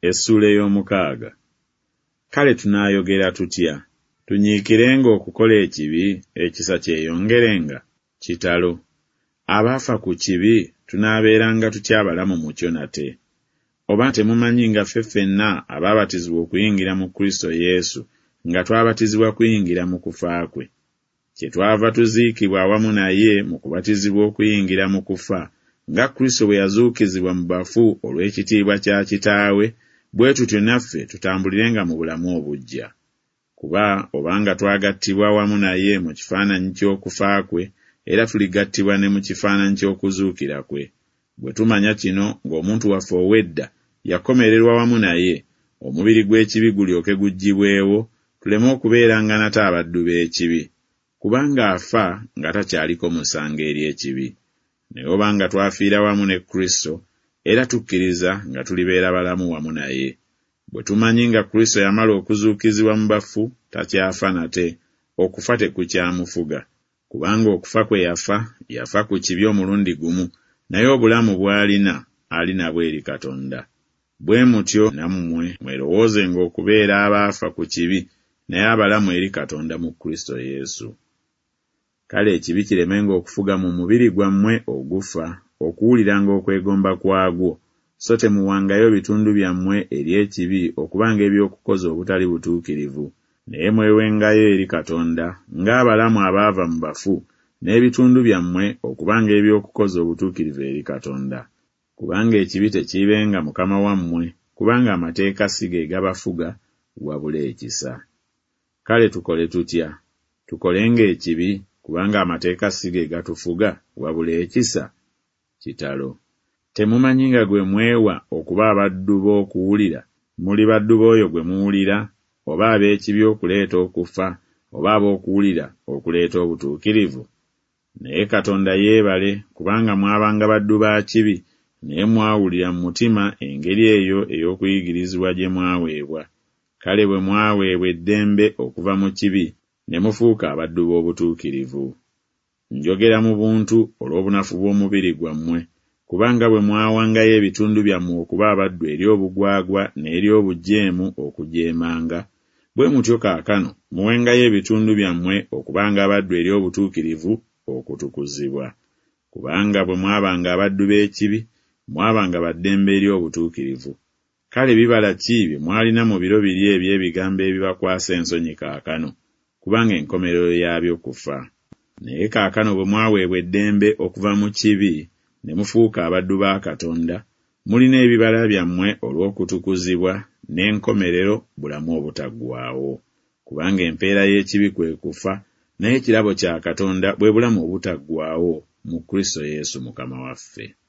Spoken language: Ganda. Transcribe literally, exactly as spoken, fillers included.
Essuula ey'omukaaga. Kale tunaayogera tutya? Tunyiikirenga okukola ekibi, ekisa kyeyongerenga? Kitalo! Abaafa ku kibi tunaabeeranga tutya abalamu mu kyo nate? Oba temumanyi nga ffe ffenna abaabatizibwa okuyingira mu Kristo Yesu, nga twabatizibwa kuyingira mu kufa kwe? Kyetwava tuziikibwa awamu naye mu kubatizibwa okuyingira mu kufa, nga Kristo bwe yazuukizibwa mu bafu olw'ekitiibwa kya Kitaawe, bwe tutyo naffe tutambulirenga mu bulamu obuggya. Kuba obanga twagattibwa wamu naye mu kifaananyi ky'okufa kwe, era tuligattibwa ne mu kifaananyi ky'okuzuukira kwe. Bwe tumanya kino ng'omuntu waffe ow'edda yakomererwa wamu naye, omubiri gw'ekibi gulyoke guggyibwewo, tuleme okubeeranga nate abaddu b'ekibi. Kubanga afa nga takyaliko musango eri ekibi. Naye obanga twafiira wamu ne Kristo, era tukkiriza nga tulibeera balamu wamu naye. Bwe tumanyi nga Kristo yamala okuzuukizibwa mu bafu, takyafa nate, okufa tekukyamufuga. Kubanga okufa kwe yafa, yafa ku kibi omulundi gumu, naye obulamu bw'alina, ali nabwo eri Katonda. Bwe mutyo nammwe mwerowoozenga okubeera abaafa ku kibi, naye abalamu eri Katonda mu Kristo Yesu. Kale ekibi kiremenga okufuga mu mubiri gwammwe ogufa, okuwuliranga okwegomba kwagwo, so temuwangayo bitundu byammwe eri ekibi okubanga eby'okukoza obutali butuukirivu, naye mwewengayo eri Katonda ng'abalamu abaava mu bafu, n'ebitundu byammwe okubanga eby'okukoza obutuukirivu eri Katonda. Kubanga ekibi tekiibenga mukama wammwe, kubanga amateeka si ge gabafuga, wabula ekisa. Kale tukole tutya? Tukolenga ekibi, kubanga amateeka si ge gatufuga, wabula ekisa? Kitalo! Temumanyi nga gwe mwewa okuba abaddu b'okuwulira, muli baddu b'oyo gwe muwulira, oba ab'ekibi okuleeta okufa, oba ab'okuwulira okuleeta obutuukirivu? Naye Katonda yeebale, kubanga mwabanga baddu ba kibi, naye mwawulira mu mutima engeri eyo ey'okuyigirizibwa gye mwaweebwa. Kale bwe mwaweebwa eddembe okuva mu kibi, ne mufuuka abaddu b'obutuukirivu. Njogera mu buntu olw'obunafu bw'omubiri gwammwe, kubanga bwe mwawangayo ebitundu byammwe okuba abaddu eri obugwagwa n'eri obujeemu okujeemanga, bwe mutyo kaakano muwengayo ebitundu byammwe okubanga abaddu eri obutuukirivu okutukuzibwa. Kubanga bwe mwabanga abaddu b'ekibi, mwabanga ba ddembe eri obutuukirivu. Kale bibala ki bye mwalina mu biro biri eby'ebigambo ebibakwasa ensonyi kaakano? Kubanga enkomerero yaabyo kufa. Naye kaakano bwe mwaweebwa eddembe okuva mu kibi, ne mufuuka abaddu ba Katonda, mulina ebibala byammwe olw'okutukuzibwa, n'enkomerero bulamu obutaggwaawo. Kubanga empeera y'ekibi kwe kufa, naye ekirabo kya Katonda bwe bulamu obutaggwaawo mu Kristo Yesu Mukama waffe.